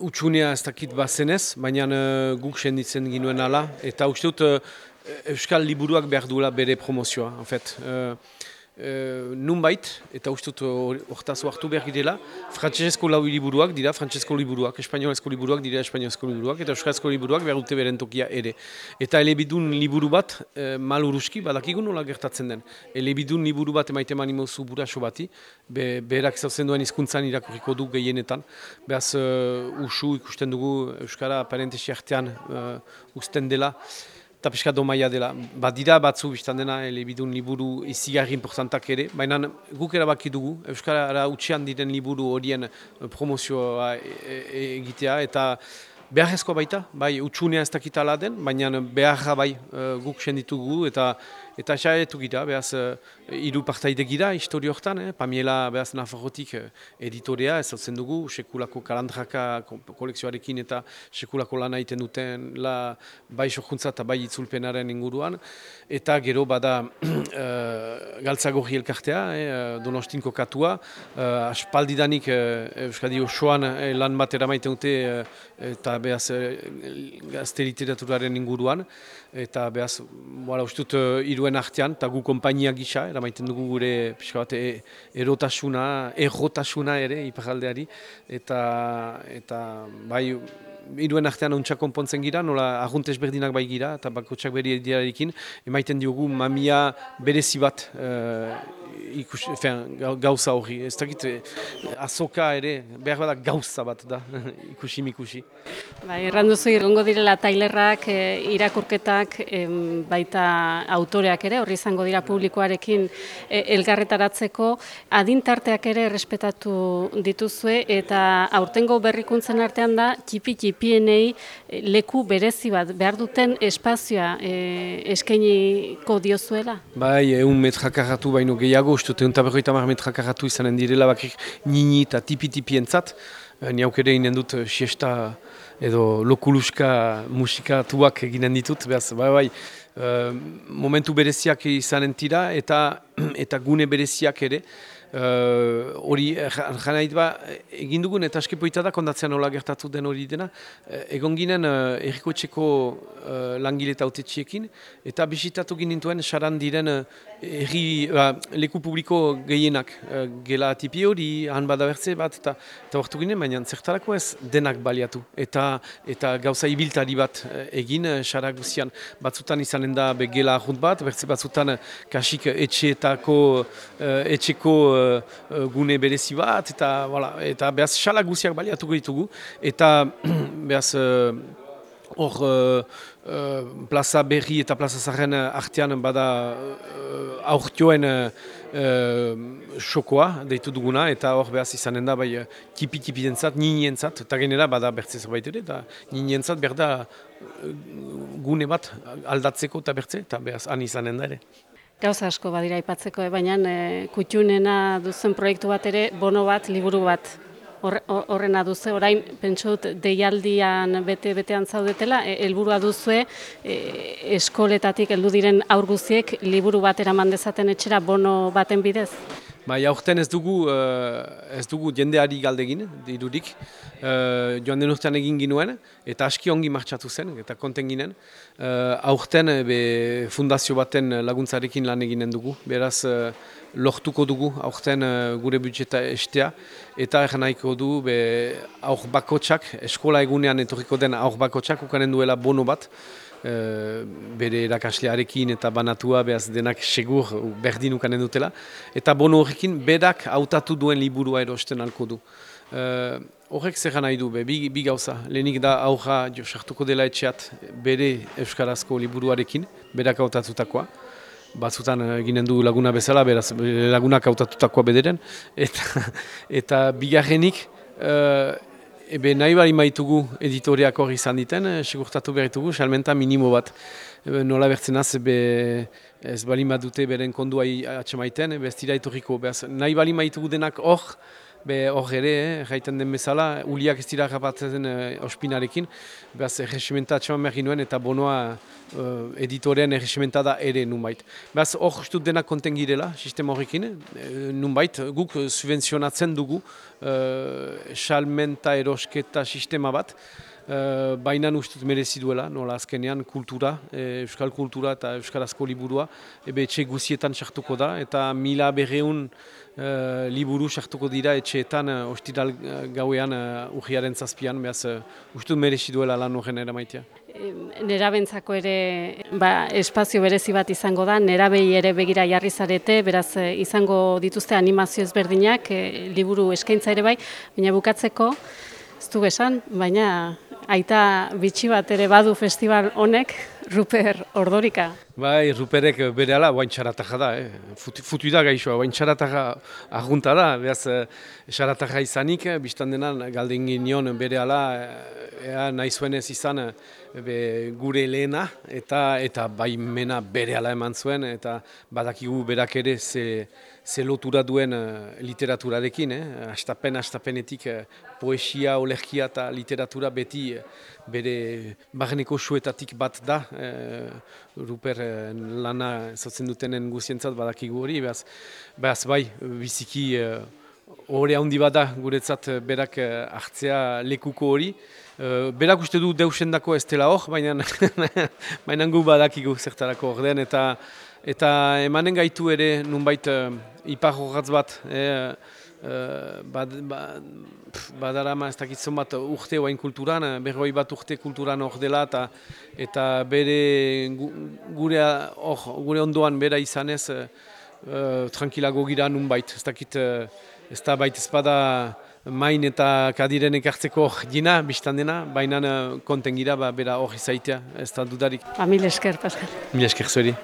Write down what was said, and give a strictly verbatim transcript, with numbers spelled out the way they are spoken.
utxunea ez dakit bazenez, baina uh, guk senditzen ginuen ala, eta uste dut uh, Euskal Liburuak behar duela bere promozioa, en fait. Uh, Uh, nunbait, eta uste dut hortaz hartu behar girela, frantsesezko lau liburuak dira frantsesezko liburuak, espainolezko liburuak dira espainolezko liburuak, eta euskarazko liburuak behar dute beren tokia ere. Eta elebidun liburu bat, uh, maluruski, badakigun nola gertatzen den. Elebidun liburu bat emaite manimozu buraso bati, be, berak zauzen duen hizkuntzan irakurriko du gehienetan. Behaz, uh, usu ikusten dugu Euskara parentesi artean uh, uzten dela, eta pixka domaia dela. Badira batzu biztan dena elebidun liburu izigarri importantak ere, baina guk erabaki dugu, Euskara utxean diren liburu horien promozioa egitea, eta beharrezkoa baita, bai, utxunea ez dakitala den, baina beharra bai guk senditugu, eta eta xaetu gira, behaz, hiru partaide gira, histori hortan, eh? Pamiela, behaz, Nafarrotik editorea, ez hautzen dugu, sekulako kalandraka kolekzioarekin eta sekulako lana egiten duten, la, bai sorkuntza eta bai itzulpenaren inguruan, eta gero bada uh, Galtzagorri elkartea, eh? Donostinko katua, uh, aspaldidanik uh, Euskadi osoan eh, lan bat eramaiten dute, uh, eta behaz, uh, gazte literaturaren inguruan, eta behaz, voilà, ustut, uh, iruen artean, eta gu kompainia gisa, eramaiten dugu gure pixka bat, e, erotasuna, errotasuna ere, iparaldeari, eta, eta bai, iruen artean ontsak konpontzen gira, nola arruntez berdinak bai gira, eta bakotsak beri ediarekin, emaiten diogu mamia berezi bat uh, ikus, fean, gauza hori. Ez dakit, azoka ere, behar bada gauza bat da, ikusi mikusi. Ba, erranduzu irgongo direla tailerrak, e, irakurketak, e, baita autoreak ere, horri izango dira publikoarekin e, elgarretaratzeko, adintarteak ere errespetatu dituzue, eta aurtengo berrikuntzen artean da, txipi-txipienei leku berezi bat, behar duten espazioa e, eskainiko diozuela? Bai, egun metrakarratu baino gehiago, uste dut, egun taberroita mar metrakarratu izanen direla bakrik nini eta tipi-tipi entzat. Niauk ere inen dut siesta edo lokuluska musikatuak eginen ditut, behaz, bai, bai, uh, momentu bereziak izanen tira eta, eta gune bereziak ere. Hori, uh, janait ba, egin dugun eta askepoita da kondatzean nola gertatu den hori dena. Uh, egon ginen uh, errikoetxeko uh, langile eta autetxiekin, eta bisitatu ginintuen saran diren uh, erri, uh, leku publiko gehienak. Uh, gela tipi hori, han badabertze bat, eta hortu ginen, baina zertarako ez denak baliatu. Eta, eta gauza ibiltari bat uh, egin, uh, sara guzian. Batzutan izanen da be gela ahunt bat, bertze batzutan uh, kasik etxeetako, uh, etxeko uh, gune berezi bat, eta, voilà, eta behaz xala guziak baliatuko ditugu, eta behaz hor uh, uh, plaza berri eta plaza zarren artean bada uh, aurtioen uh, xokoa deitu duguna, eta hor behaz izanen da bai tipi-tipi entzat, nini entzat, eta genera bada bertze zerbait ere, eta nini entzat behar da uh, gune bat aldatzeko eta bertze, eta behaz han izanen da ere. Gauza asko badira aipatzeko, eh? Baina e, kutxunena duzen proiektu bat ere, bono bat, liburu bat horrena duze. Orain, pentsot, deialdian bete-betean zaudetela, helburua duzue e, eskoletatik heldu diren aur guztiek liburu bat eraman dezaten etxera bono baten bidez? Bai, aurten ez dugu, uh, ez dugu jendeari galdegin, dirurik. Uh, joan den urtean egin ginuen, eta aski ongi martxatu zen, eta konten ginen. Uh, aurten be, fundazio baten laguntzarekin lan eginen dugu, beraz uh, lortuko dugu aurten uh, gure budjeta estea, eta erran nahiko du be, aur bakotsak, eskola egunean etorriko den aur bakotsak, ukanen duela bono bat, Uh, bere erakaslearekin eta banatua behaz denak segur berdin ukanen dutela. Eta bono horrekin berak hautatu duen liburua erosten alko du. Uh, horrek zer nahi du, be, bi, bi gauza. Lehenik da aurra jo sartuko dela etxeat bere euskarazko liburuarekin, berak hautatutakoa. Batzutan eginen du laguna bezala, beraz lagunak hautatutakoa bederen. Eta, eta bigarrenik, uh, Ebe nahi bali maitugu editoreak hori izan diten, segurtatu berritugu, salmenta minimo bat. Ebe, nola bertzenaz, ebe, ez bali dute beren kondua atxemaiten, ebe ez dira etorriko. Beaz, nahi bali maitugu denak hor, be hor ere, eh, jaiten den bezala, uliak ez dira rapatzen eh, ospinarekin, behaz erresimenta atxeman behar ginuen eta bonoa eh, editorean erresimenta da ere nunbait. Behaz hor justut denak konten girela, sistema horrekin, eh, nunbait guk subvenzionatzen dugu eh, salmenta erosketa sistema bat, Uh, baina ustut merezi duela, nola azkenean kultura, e, euskal kultura eta euskarazko liburua, ebe etxe guzietan sartuko da, eta mila berreun uh, liburu sartuko dira etxeetan uh, ostiral gauean uh, urriaren zazpian, behaz uh, ustut merezi duela lan horren eramaitea. Nerabentzako ere ba, espazio berezi bat izango da, nerabei ere begira jarri zarete, beraz izango dituzte animazio ezberdinak, e, liburu eskaintza ere bai, baina bukatzeko, ez du esan, baina aita bitxi bat ere badu festival honek, Ruper Ordorika. Bai, Ruperek bere ala, oain txarataja da, eh? Futu, futu da gaixoa, oain txarataja argunta da, behaz txarataja izanik, biztan denan galden ginion bere ala, ea nahi zuenez izan be, gure lehena, eta eta baimena bere ala eman zuen, eta badakigu berak ere ze, ze lotura duen literaturarekin, eh? Astapen, astapenetik poesia, olerkia eta literatura beti bere barneko suetatik bat da, eh, Ruper lana zotzen dutenen guzientzat badakigu hori, behaz, behaz bai, biziki horre handi bada guretzat berak hartzea lekuko hori. Berak uste du deusendako ez dela hor, baina baina gu badakigu zertarako hor den, eta, eta emanen gaitu ere nunbait ipar horratz bat, eh, Uh, bad, bad, badarama ez dakitzen bat urte oain kulturan, berroi bat urte kulturan hor dela eta, eta bere gu, gure, or, gure ondoan bera izanez uh, tranquilago gira nunbait. Ez dakit uh, ez da bait ezpada main eta kadiren ekartzeko gina, biztan dena, baina uh, konten gira ba, bera hor izaitea, ez da dudarik. Ba, mil esker, Pascal. Mil esker zueri.